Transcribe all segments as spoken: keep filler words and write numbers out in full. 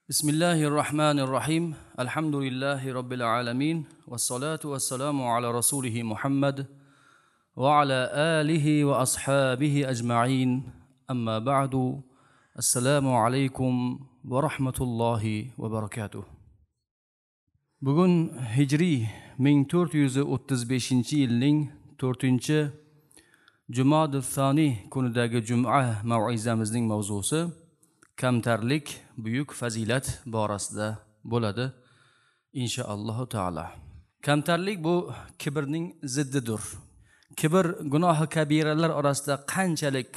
Bismillahir Rahmanir Rahim. Alhamdulillahi Robbil alamin. Vassalatu vassalamu ala rasulihi Muhammad va ala alihi va ashabihi ajma'in. Amma ba'du. Assalomu alaykum va rahmatullohi va barakatuh. Bugun hijriy ming to'rt yuz o'ttiz beshinchi yilning to'rtinchi Jumodi Soniy kunidagi juma mav'izamizning mavzusi kamtarlik buyuk fazilat borasida bo'ladi inshaallohu taolo. Kamtarlik bu kibrning ziddidir. Kibr gunohi kabiralar orasida qanchalik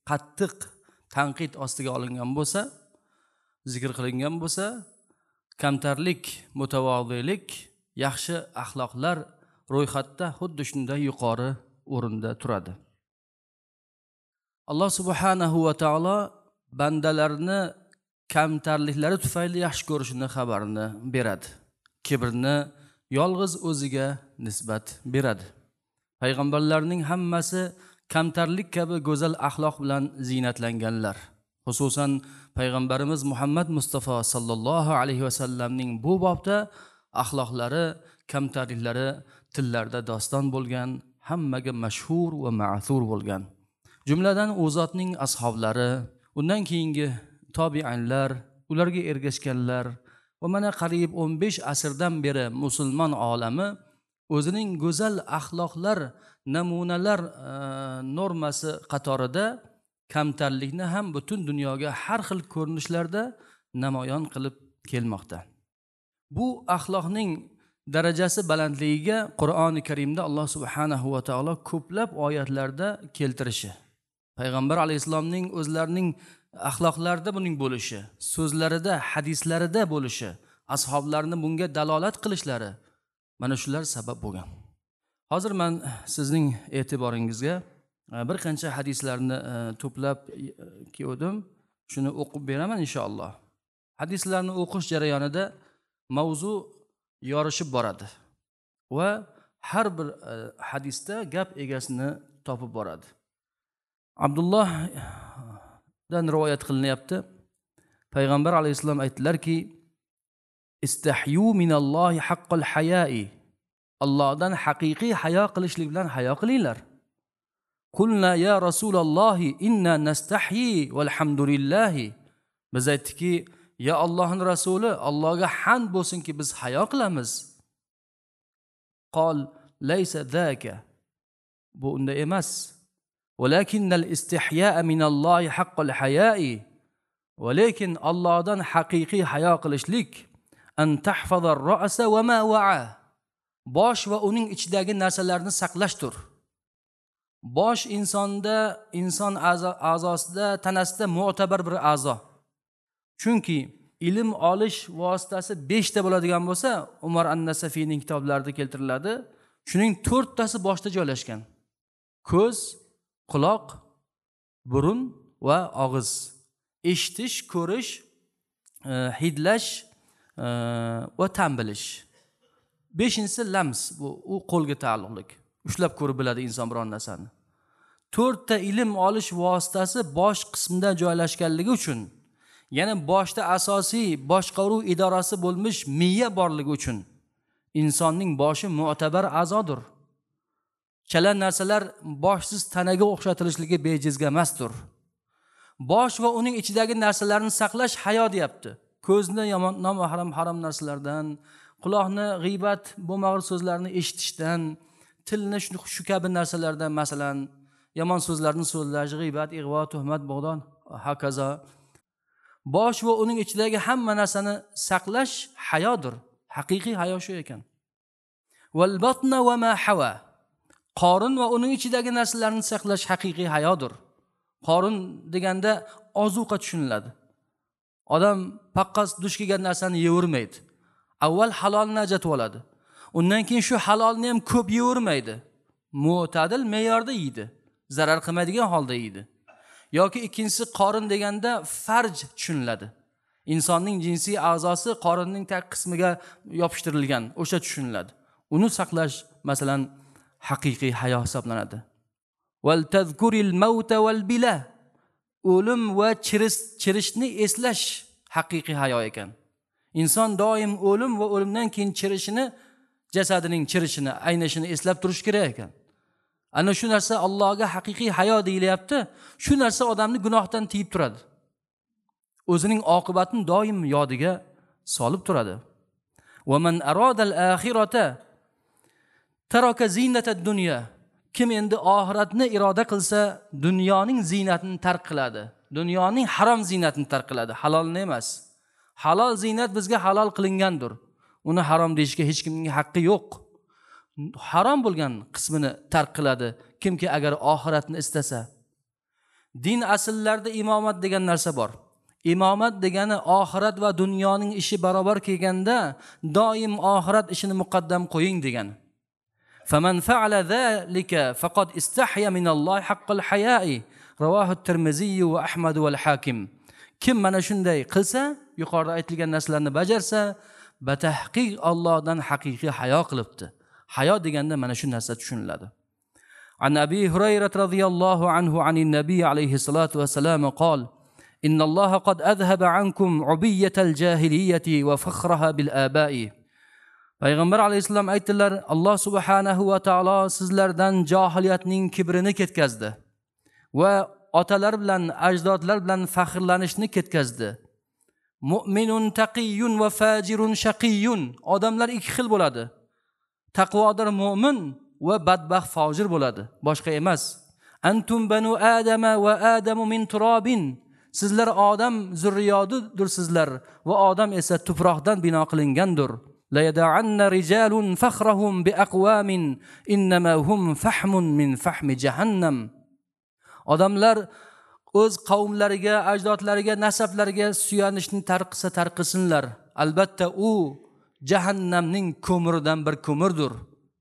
qattiq tanqid ostiga olingan bo'lsa, zikr qilingan bo'lsa, kamtarlik, mutavozilik, yaxshi axloqlar ro'yxatda xuddi shunday yuqori o'rinda turadi. Alloh subhanahu va taolo bandalarni kamtarliklari tufayli yaxshi ko'rishini xabarini beradi. Kibrni yolg'iz o'ziga nisbat beradi. Payg'ambarlarning hammasi kamtarlik kabi go'zal axloq bilan ziynatlanganlar. Xususan payg'ambarimiz Muhammad Mustafa sallallohu alayhi vasallamning bu bobda axloqlari, kamtarliklari tillarda doston bo'lgan, hammaga mashhur va ma'thur bo'lgan. Jumladan u zotning ashoblari, undan keyingi tobiinlar, ularga ergashganlar va mana qariyb o'n besh asrdan beri musulmon olami o'zining go'zal axloqlar, namunalar e, normasi qatorida kamtarlikni ham butun dunyoga har xil ko'rinishlarda namoyon qilib kelmoqda. Bu axloqning darajasi balandligiga Qur'oni Karimda Alloh subhanahu va taolo ko'plab oyatlarda keltirishi, payg'ambar alayhissalomning o'zlarining axloqlarida buning bo'lishi, so'zlarida, hadislarida bo'lishi, ashoblarni bunga dalolat qilishlari mana shular sabab bo'lgan. Hozir men sizning e'tiboringizga bir qancha hadislarni to'plab keldim. Shuni o'qib beraman inshaalloh. Hadislarni o'qish jarayonida mavzu yorishib boradi va har bir hadisda gap egasini topib boradi. Abdullohdan rivoyat qilinyapti. Payg'ambar alayhissalom aytdilarki: "Istahyu minallohi haqqal haya'i." Allohdan haqiqiy hayo qilishlik bilan hayo qilinglar. Qulna ya Rasulullohi inna nastahyi valhamdulillahi. Biz aytdikki, ya Allohning rasuli, Allohga hamd bo'lsinki biz hayo qilamiz. Qol laysa zaka. Bu unda emas. Walakinnal istihya'a minallohi haqqal haya'i. Walakin Allohdan haqiqiy hayo qilishlik an tahfaza ar-ra'sa va ma wa'a. Bosh va uning ichidagi narsalarni saqlashdir. Bosh insonda, inson a'zosida, tanasida mu'tabar bir a'zo. Chunki ilm olish vositasi beshta bo'ladigan bo'lsa, Umar an-Nasafiyning kitoblarida keltiriladi. Shuning to'rttasi boshda joylashgan. Ko'z, quloq, burun va og'iz. Eshitish, ko'rish, hidlash va ta'm bilish. Beshinchisi lams, bu u qo'lga taalluqli. Ushlab ko'rib biladi inson biron narsani. To'rtta ilm olish vositasi bosh qismida joylashganligi uchun, yana boshda asosiy boshqaruv idorasi bo'lmish miya borligi uchun insonning boshi mu'tabar a'zodir. Chala narsalar boshsiz tanaga o'xshatilishligi bejizga emasdir. Bosh va uning ichidagi narsalarni saqlash hayo deyapti. Ko'zni yomon, nomahram, harom narsalardan, quloqni g'iybat, bo'lmag'ur so'zlarni eshitishdan, tilni shu, shu kabi narsalardan, masalan, yomon so'zlarni so'zlash, g'iybat, ig'vo, tuhmat, bo'g'don, hokazo. Bosh va uning ichidagi hamma narsani saqlash hayodir. Haqiqiy hayo shu ekan. Val batna va ma hawa. Qorin va uning ichidagi narsalarni saqlash haqiqiy hayodir. Qorin deganda ozuqa tushuniladi. Odam paqqos duch kelgan narsani yevermaydi. Avval halolni ajratib oladi. Undan keyin shu halolni ham ko'p yevermaydi. Mo'tadil me'yorda yeydi. Zarar qilmaydigan holda yeydi. Yoki ikkinchisi qorin deganda farj tushuniladi. Insonning jinsiy a'zosi qorinning tag qismiga yopishtirilgan, o'sha tushuniladi. Uni saqlash masalan haqiqiy hayo hisoblanadi. Val tazkuril mauta val bila. O'lim va chirish, chirishni eslash haqiqiy hayo ekan. Inson doim o'lim va o'limdan keyin chirishini, jasadining chirishini, aynashini eslab turish kerak ekan. Ana shu narsa Allohga haqiqiy hayo deyilyapti. Shu narsa odamni gunohdan tiyib turadi. O'zining oqibatini doim yodiga solib turadi. Va man aradal axirata taraka zinatad dunya. Kim endi oxiratni iroda qilsa, dunyoning ziynatini tark qiladi. Dunyoning harom ziynatini tark qiladi, halolni emas. Halol ziynat bizga halol qilingandir. Uni harom deyishga hech kimning haqqi yo'q. Harom bo'lgan qismini tark qiladi kimki agar oxiratni istasa. Din asllarida imomat degan narsa bor. Imomat degani oxirat va dunyoning ishi barobar kelganda doim oxirat ishini muqaddam qo'ying degani. Faman fa'ala zalika faqad istahya minallohi haqqal haya'i. Rawahu at-Tirmizi va Ahmad va al-Hakim. Kim mana shunday qilsa, yuqorida aytilgan narsalarni bajarsa, batahqiq Allohdan haqiqiy hayo qilibdi. Hayo deganda mana shu narsa tushuniladi. An Abi Hurayra radhiyallohu anhu anin nabiy alayhi salatu va salam qol: Innalloha qad azhaba ankum ubiyyatal jahiliyyati va fakhraha bil aba'i. Payg'ambar alayhissalom aytdilar, Alloh subhanahu va taolo sizlardan johiliyatning kibrini ketkazdi va otalar bilan, ajdodlar bilan faxrlanishni ketkazdi. Mu'minun taqiyyun va fajirun shaqiyyun. Odamlar ikki xil bo'ladi. Taqvodor mu'min va badbaxt fojir bo'ladi, boshqa emas. Antum banu adama va adamu min turabin. Sizlar odam zurriyodidursizlar va odam esa tuproqdan bino qilingandir. La yada'anna rijalun fakhrahum bi aqwamin innama hum fahmun min fahmi jahannam. Odamlar o'z qavmlariga, ajdodlariga, nasablariga suyanishni tark qilsa tark qilsinlar. Albatta u jahannamning ko'miridan bir ko'mirdir.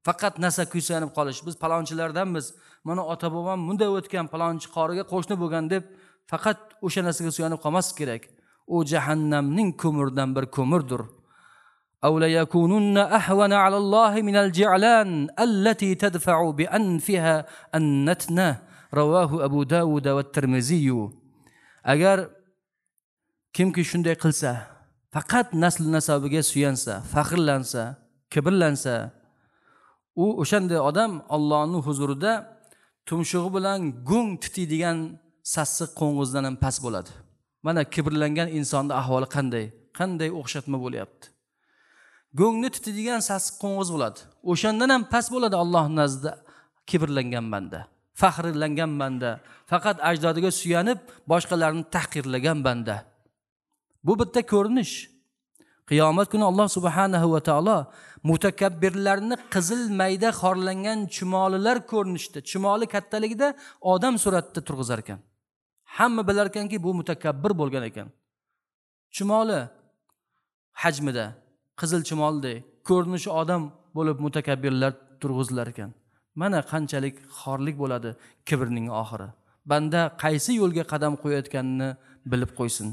Faqat nasabga suyanib qolish, biz palonchilardanmiz, mana ota bobom bunday o'tgan, palonchi qoriga qo'shni bo'lgan deb faqat o'sha narsaga suyanib qolmaslik kerak. U jahannamning ko'miridan bir ko'mirdir. Aw la yakununna ahwana ala Allohi min al-ji'lan allati tadfa'u bi anfiha an-natna. Rawahu Abu Dawud va Tirmiziy. Agar kimki shunday qilsa, faqat nasl nasabiga suyansa, faxrlansa, kibrlansa, u o'shanday odam Allohning huzurida tumshug'i bilan go'ng titiydigan sassiq qo'ng'izdan ham past bo'ladi. Mana kibrlangan insonning ahvoli qanday? Qanday o'xshatma bo'lyapti? Go'ngni titiydigan sassiq qo'ng'iz bo'ladi. O'shandan ham past bo'ladi Allohning nazdida kibrlangan banda, faxrlangan banda, faqat ajdodiga suyanib boshqalarni tahqirlagan banda. Bu bitta ko'rinish. Qiyomat kuni Alloh subhanahu va taolo mutakabbirlarni qizil mayda xorlangan chumolilar ko'rinishda, chumoli kattaligida odam suratida turg'izar ekan. Hamma bilar ekanki, bu mutakabbir bo'lgan ekan. Chumoli hajmida, qizil chumolidek ko'rinishi odam bo'lib mutakabbirlar turg'izilar ekan. Mana qanchalik xorlik bo'ladi kibrning oxiri. Banda qaysi yo'lga qadam qo'yayotganini bilib qo'ysin.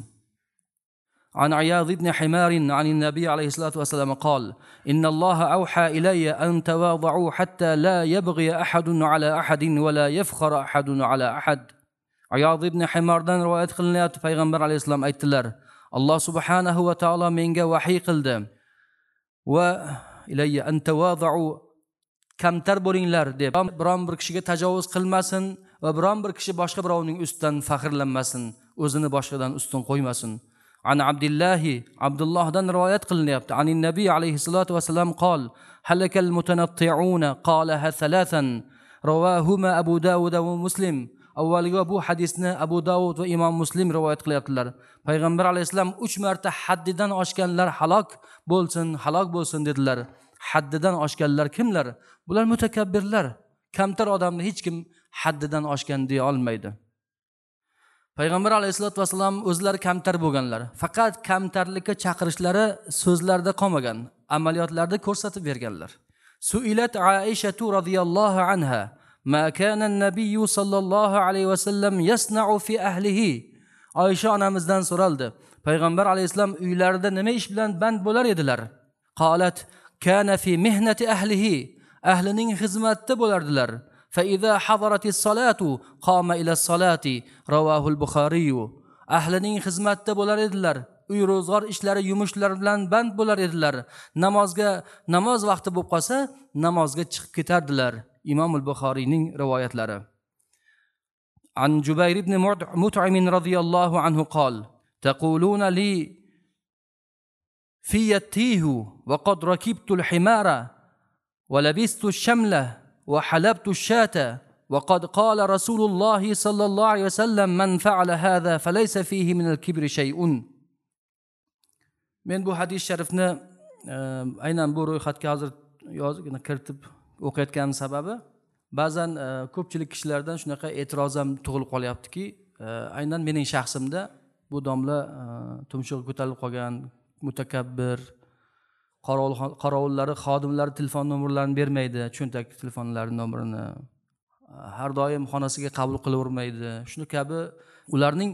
عن عياض بن حمار عن النبي عليه الصلاة والسلام قال: إن الله أوحى إلي أن تواضعوا حتى لا يبغي أحد على أحد ولا يفخر أحد على أحد. عياض بن حمارdan rivoyat qilinyapti, payg'ambar alayhissalom aytdilar: Alloh subhanahu va taolo menga vahiy qildi va ilayya an tawada'u, kamtar bo'linglar deb, biron bir kishiga tajovuz qilmasin va biron bir kishi boshqa birovning ustidan faxrlanmasin, o'zini boshqadan ustun qo'ymasin. An Abdullohi, Abdullohdan rivoyat qilinyapti. Anin nabiy alayhissalatu vassalam qol: halakal mutanatti'una qalaha thalathan. Rawahuma Abu Dawud va Muslim. Avvalgi bu hadisni Abu Dawud va Imom Muslim rivoyat qilyaptilar. Payg'ambar alayhissalom uch marta haddidan oshganlar halok bo'lsin, halok bo'lsin dedilar. Haddidan oshganlar kimlar? Bular mutakabbirlar. Kamtar odamni hech kim haddidan oshgan deya olmaydi. Payg'ambar alayhissalatu vassalam o'zlari kamtar bo'lganlar. Faqat kamtarlikka chaqirishlari so'zlarda qolmagan, amaliyotlarda ko'rsatib berganlar. Suilat Aishatu radhiyallohu anha ma kana an-nabiy sallallohu alayhi vasallam yasna'u fi ahlihi. Oysha onamizdan so'raldi. Payg'ambar alayhissalom uylarida nima ish bilan band bo'lar edilar? Qalat kana fi mihnati ahlihi. Ahlining xizmatida bo'lardilar. فإذا حضرت الصلاة قام إلى الصلاة. رواه البخاري. Ahlining xizmatida bo'lar edilar. Uy ro'zg'or ishlari, yumushlar bilan band bo'lar edilar. Namozga, namoz vaqti bo'lib qolsa, namozga chiqib ketardilar. Imom al-Buxoriyning rivoyatlari. An Jubayr ibn Mut'im radhiyallohu anhu qol: "Taquluna li fi yatihu wa qad rakibtu al-himara wa labistu ash-shamla wa halabtu ash-shata wa qad qala Rasululloh sallallohu alayhi vasallam man fa'ala hadha falaysa fihi min al-kibri shay'un." Men bu hadis sharifni aynan bu ro'yxatga hozir yozib kiritib o'qiyotganim sababi ba'zan ko'pchilik kishilardan shunaqa e'tiroz ham tug'ilib qolyaptiki, aynan mening shaxsimda bu domla tumshug'i ko'tarilib qolgan, mutakabbir, qorovul qorovullari, xodimlari telefon nomerlarini bermaydi, cho'ntak telefonlari nomerini har doim xonasiga qabul qilavermaydi. Shuni kabi ularning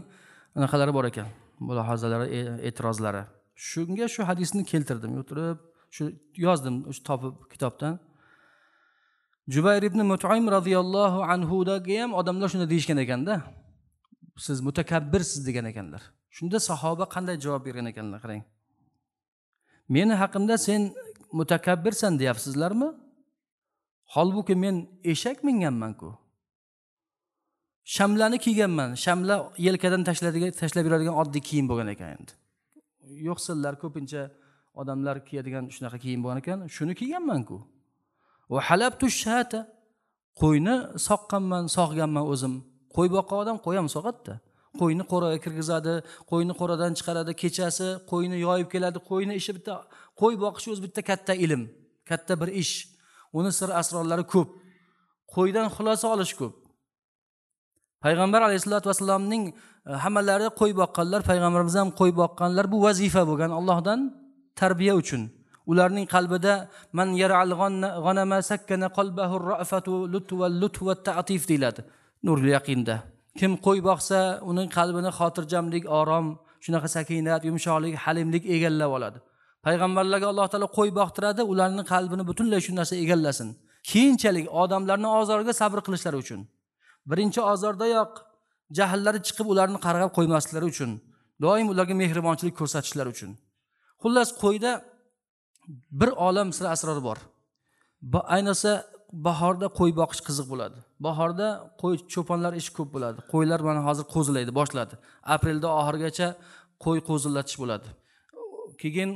anaqalari bor ekan, mulohazalari, e'tirozlari. Shunga shu hadisni keltirdim, o'tirib shu yozdim, shu topib kitobdan. Jubayr ibn Mut'im radhiyallohu anhu daga ham odamlar shuni deyishgan ekanda, siz mutakabbirsiz degan ekanlar. Shunda sahoba qanday javob bergan ekanlar, qarang. Meni haqimda sen mutakabbirsan deyapsizlarmi? Holbuki men eshak minganman-ku. Shamlani kiyganman. Shamla yelkadan tashladigan, tashlab yuradigan oddiy kiyim bo'lgan ekan endi. Yo'qsillar ko'pincha odamlar kiyadigan shunaqa kiyim bo'lgan ekan, shuni kiyganman-ku. Va halabtu shata, qo'yni soqqanman, sog'ganman o'zim. Qo'y boqqan odam qo'y ham sog'adi-da. Qo'yni qo'raga kirgizadi, qo'yni qo'radan chiqaradi, kechasi qo'yni yoyib keladi. Qo'yni ishi bitta, qo'y boqish o'zi bitta katta ilm, katta bir ish. Uni sir asrorlari ko'p. Qo'ydan xulosa olish ko'p. Payg'ambar alayhissalatu vassalomning hammalari qo'y boqqanlar, payg'ambarimiz ham qo'y boqqanlar. Bu vazifa bo'lgan Allohdan tarbiya uchun. Ularning qalbida man yar'al g'anama sakkana qalbahu ar-ra'fatu lutfu wal lutfu wat ta'tif deyiladi. Nurul yaqinda. Kim qo'y boqsa, uning qalbini xotirjamlik, orom, shunaqa sakinat, yumshoqlik, halimlik egallab oladi. Payg'ambarlarga Alloh taolo qo'y boqtiradi, ularning qalbini butunlay shu narsa egallasin. Keyinchalik odamlarning ozoriga sabr qilishlari uchun. Birinchi ozordayoq jahllari chiqib ularni qarg'ab qo'ymasliklari uchun, doim ularga mehribonchilik ko'rsatishlari uchun. Xullas, qo'yda bir olam sir asror bor. Ayniqsa bahorda qo'y boqish qiziq bo'ladi. Bahorda qo'y cho'ponlar ishi ko'p bo'ladi. Qo'ylar mana hozir qo'zilaydi, boshladi. Aprelda oxirigacha qo'y qo'zilatish bo'ladi. Keyin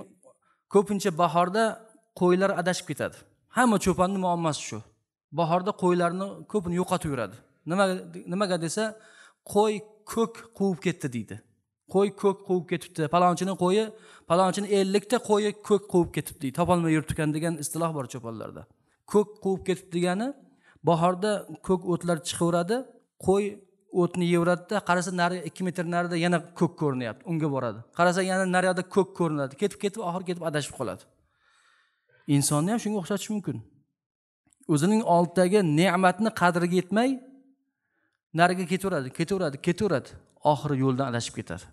ko'pincha bahorda qo'ylar adashib ketadi. Hamma cho'ponning muammosi shu. Bahorda qo'ylarni ko'pini yo'qotib yuradi. Nima nimaga desa, qo'y ko'k quvib ketdi deydi. Qo'y ko'k quvib ketibdi. Palonchining qo'yi, palonchining ellikta qo'yi ko'k quvib ketibdi deydi. Topolmay yuribdi degan istiloh bor cho'ponlarda. Ko'k quvib ketibdi degani bahorda ko'k o'tlar chiqaveradi, qo'y o'tni yeveradi-da, qarasa nari ikki metr narida yana ko'k ko'rinyapti, unga boradi. Qarasa yana naryoqda ko'k ko'rinadi. Ketib ketib oxiri ketib adashib qoladi. Insonni ham shunga o'xshatish mumkin. O'zining oldidagi ne'matni qadriga yetmay nariga ketaveradi, ketaveradi, ketaveradi. Oxiri yo'ldan adashib ketadi.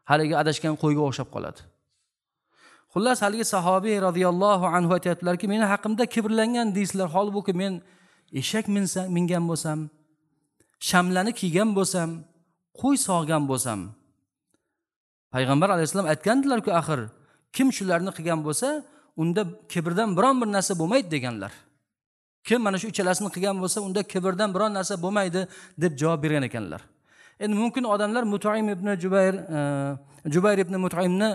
Haligi adashgan qo'yga o'xshab qoladi. Xullas, haligi sahobiy radhiyallohu anhu aytayaptilarki, meni haqimda kibrlangan deysizlar, holbuki men eshak minsa, mingan bo'lsam, shamlani kiygan bo'lsam, qo'y sog'gan bo'lsam. Payg'ambar alayhissalom aytgandilar-ku, axir kim shularni qilgan bo'lsa, unda kibrdan biron bir narsa bo'lmaydi deganlar. Kim mana shu uchalasini qilgan bo'lsa, unda kibrdan biron narsa bo'lmaydi deb javob bergan ekanlar. Endi mumkin odamlar Mut'im ibn Jubayr, Jubayr ibn Mut'imni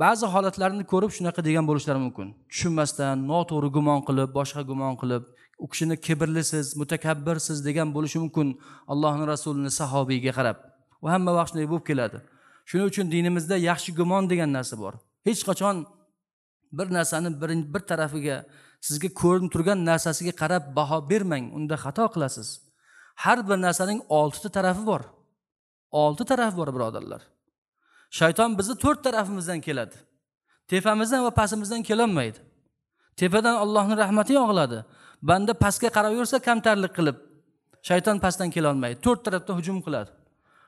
ba'zi holatlarini ko'rib shunaqa degan bo'lishlari mumkin. Tushunmasdan, noto'g'ri gumon qilib, boshqa gumon qilib, u kishini kibrlisiz, mutakabbirsiz degan bo'lishi mumkin Allohning rasulini sahobiyga qarab. U hamma vaqt shunday bo'lib keladi. Shuning uchun dinimizda yaxshi gumon degan narsa bor. Hech qachon bir narsani bir, bir tarafiga, sizga ko'rinib turgan narsasiga qarab baho bermang, unda xato qilasiz. Har bir narsaning oltita tarafi bor. Olti tarafi bor, birodarlar. Shayton bizni to'rt tarafimizdan keladi. Tepamizdan va pastimizdan kelolmaydi. Tepadan Allohning rahmati yog'iladi. Banda pastga qarab yursa kamtarlik qilib, shayton pastdan kela olmaydi. To'rt tarafdan hujum qiladi.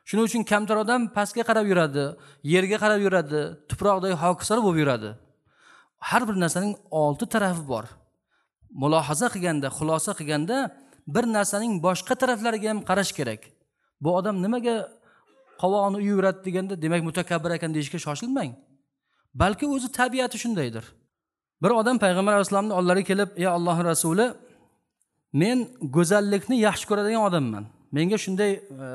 Shuning uchun kamtar odam pastga qarab yuradi, yerga qarab yuradi, tuproqdagi hokisor bo'lib yuradi. Har bir narsaning olti tarafi bor. Mulohaza qilganda, xulosa qilganda bir narsaning boshqa taraflariga ham qarash kerak. Bu odam nimaga Qovog'ini uyib deganda demak mutakabbir ekan deyishga shoshilmang. Balki o'zi tabiati shundaydir. Bir odam payg'ambar alayhissalomning oldilariga kelib, "Ey Allohning rasuli, men go'zallikni yaxshi ko'radigan odamman. Menga shunday e,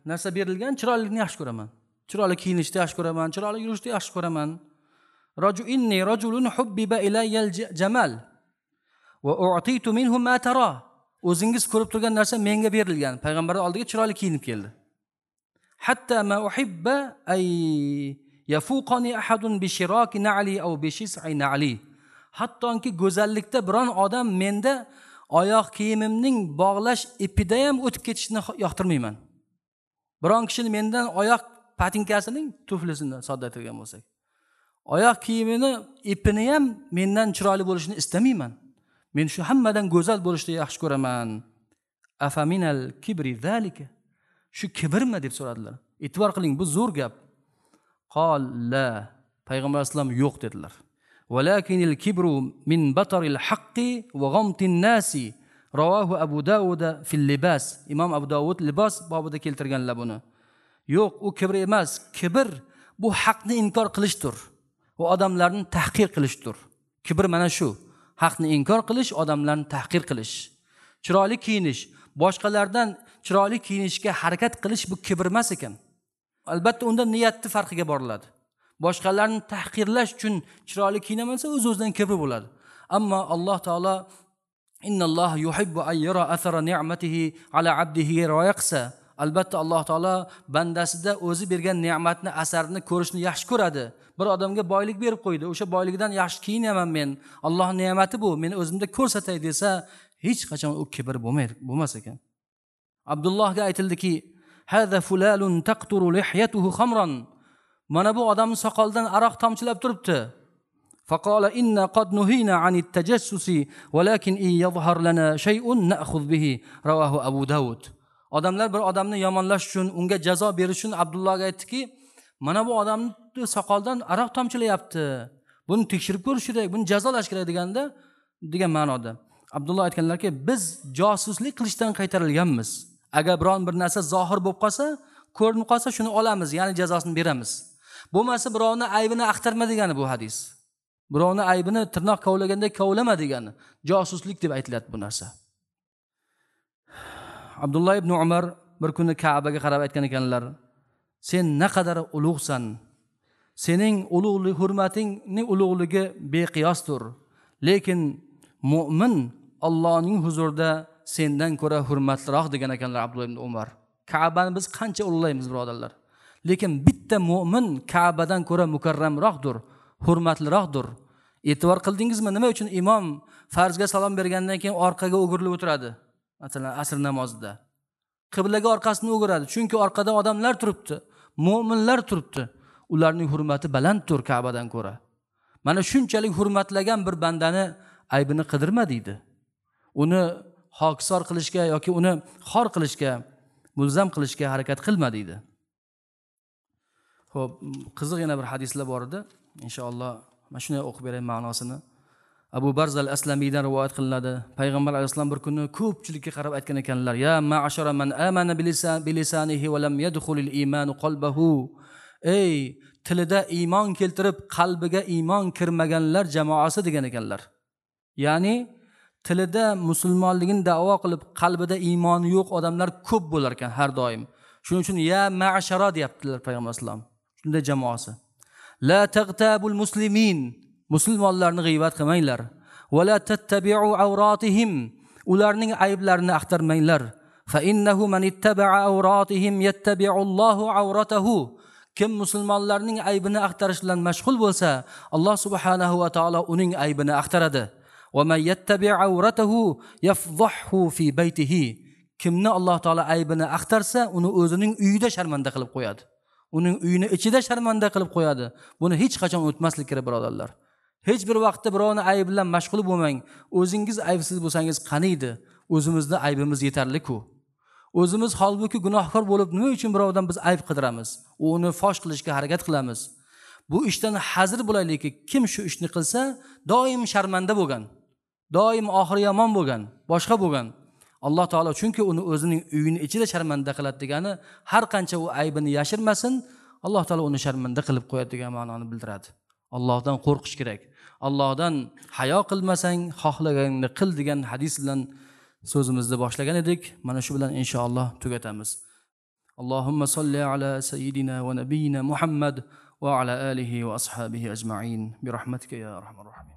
narsa berilgan, chiroylilikni yaxshi ko'raman. Chiroyli kiyinishni yaxshi ko'raman, chiroyli yurishni yaxshi ko'raman. Raju inni rajulun hubbiba ilayyal jamal va u'titu minhu ma tara." O'zingiz ko'rib turgan narsa menga berilgan. Payg'ambarning oldiga chiroyli kiyinib keldi. Hatta ma uhibba ay yafuqani ahadun bi shiraki na'li aw bi shis'i na'li. Hattoki go'zallikda biron odam menda oyoq kiyimimning bog'lash ipida ham o'tib ketishini yoqtirmayman. Biron kishini mendan oyoq patinkasining tuflisini sodda aytgan bo'lsak, oyoq kiyimini ipini ham mendan chiroyli bo'lishini istamayman. Men shu hammadan go'zal bo'lishni yaxshi ko'raman. Afaminal kibri zalika? Shu kibrmi deb so'radilar. E'tibor qiling, bu zo'r gap. Qol la. Payg'ambar alayhissalom yo'q dedilar. Walakinil kibru min bataril haqqi va g'amtin nasi. Rawahu Abu Dawud fil libas. Imom Abu Dawud libos bobida keltirganlar buni. Yo'q, u kibr emas. Kibr bu haqni inkor qilishdir. U odamlarni tahqir qilishdir. Kibr mana shu. Haqni inkor qilish, odamlarni tahqir qilish. Chiroyli kiyinish, boshqalardan chiroyli kiyinishga harakat qilish bu kibr emas ekan. Albatta unda niyatni farqiga boriladi. Boshqalarni tahqirlash uchun chiroyli kiyinamansa o'z-o'zidan kibr bo'ladi. Ammo Alloh taolo innalloha yuhibbu an yara athara ni'matihi ala abdihi rioya qilsa, albatta Alloh taolo bandasida o'zi bergan ne'matni asarini ko'rishni yaxshi ko'radi. Bir odamga boylik berib qo'ydi, o'sha boyligidan yaxshi kiyinaman men, Allohning ne'mati bu, men o'zimda ko'rsatay desa, hech qachon u kibr bo'lmaydi, bo'lmas ekan. Abdullohga aytildiki, "Hada fulalun taqturu lihyatuhu khamran." Mana bu odamning soqolidan aroq tomchilab turibdi. Faqala inna qad nuhina anit tajassusi walakin in yadhhar lana shay'un na'khudh bihi. Rawahu Abu Dawud. Odamlar bir odamni yomonlash uchun, unga jazo berish uchun Abdullohga aytdiki, mana bu odamni soqoldan aroq tomchilayapti. Buni tekshirib ko'rish kerak, buni jazolash kerak deganda, degan ma'noda. Abdulloh aytganlarki, biz josuslik qilishdan qaytarilganmiz. Agar biron bir narsa zohir bo'lib qolsa, ko'rinib qolsa shuni olamiz, ya'ni jazosini beramiz. Bo'lmasa birovni aybini axtarma degani bu hadis. Birovni aybini tirnoq kovlaganda kovlama degani. Josuslik deb aytiladi bu narsa. Abdulloh ibn Umar bir kuni Ka'baga qarab aytgan ekanlar, sen naqadar ulug'san. Sening ulug'lik hurmatingning ulug'ligi beqiyosdir. Lekin mo'min Allohning huzurida sendan ko'ra hurmatliroq degan ekanlar Abdulloh ibn Umar. Ka'bani biz qancha ulug'laymiz birodarlar. Lekin bitta mo'min Ka'badan ko'ra mukarramroqdir, hurmatliroqdir. E'tibor qildingizmi, nima uchun imom farzga salom bergandan keyin orqaga o'girilib o'tiradi? Masalan, asr namozida qiblaga orqasini o'giradi, chunki orqada odamlar turibdi, mo'minlar turibdi. Ularning hurmati balanddir Ka'badan ko'ra. Mana shunchalik hurmatlagan bir bandani aybini qidirma deydi. Uni hokisor qilishga yoki uni xor qilishga, mulzam qilishga harakat qilma deydi. Xo'p, qiziq yana bir hadislar bor edi. Inshaalloh mana shuni o'qib beray ma'nosini. Abu Barzal Aslamiydan rivoyat qilinadi. Payg'ambar alayhissalom bir kuni ko'pchilikka qarab aytgan ekanlar: "Ya ma'ashara man amana bilisanihi va lam yadkhulil iymanu qalbahu." Ey tilida iymon keltirib qalbiga iymon kirmaganlar jamoasi degan ekanlar. Ya'ni tilida musulmonligini da'vo qilib qalbida iymoni yo'q odamlar ko'p bo'lar ekan har doim. Shuning uchun ya ma'ashara deyaptilar payg'ambar alayhissalom. Shunday jamoasi. La tagtabul muslimin, musulmonlarni g'iybat qilmanglar. Va la tattabi'u awratihim, ularning ayblarini axtarmanglar. Fa innahu man ittaba'a awratihim yattabi'u Allohu awratahu. Kim musulmonlarning aybini axtarish bilan mashg'ul bo'lsa, Alloh subhanahu va taolo uning aybini axtaradi. Va man yattabi' awratahu yafdhahhu fi baytihi. Kimni Alloh taolo aybini axtarsa, uni o'zining uyida sharmanda qilib qo'yadi. Uning uyini ichida sharmanda qilib qo'yadi. Buni hech qachon unutmaslik kerak birodarlar. Hech bir vaqtda birovning aybi bilan mashg'ul bo'lmang. O'zingiz aybsiz bo'lsangiz qaniydi? O'zimizni aybimiz yetarli-ku. O'zimiz holbuki gunohkor bo'lib nima uchun birovdan biz ayb qidiramiz? Uni fosh qilishga harakat qilamiz. Bu ishdan hazir bo'laylikki, kim shu ishni qilsa, doim sharmanda bo'lgan, doim oxiri yomon bo'lgan, boshqa bo'lgan. Alloh taolo chunki uni o'zining uyini ichida sharmanda qiladi degani, har qancha u aybini yashirmasin, Alloh taolo uni sharmanda qilib qo'yadi degan ma'noni bildiradi. Allohdan qo'rqish kerak. Allohdan hayo qilmasang, xohlaganingni qil degan hadis bilan so'zimizni boshlagan edik. Mana shu bilan inshaalloh tugatamiz. Allohumma solli ala sayyidina va nabiyina Muhammad va ala alihi va ashabihi ajma'in bi rahmatika ya arhamar rohimin.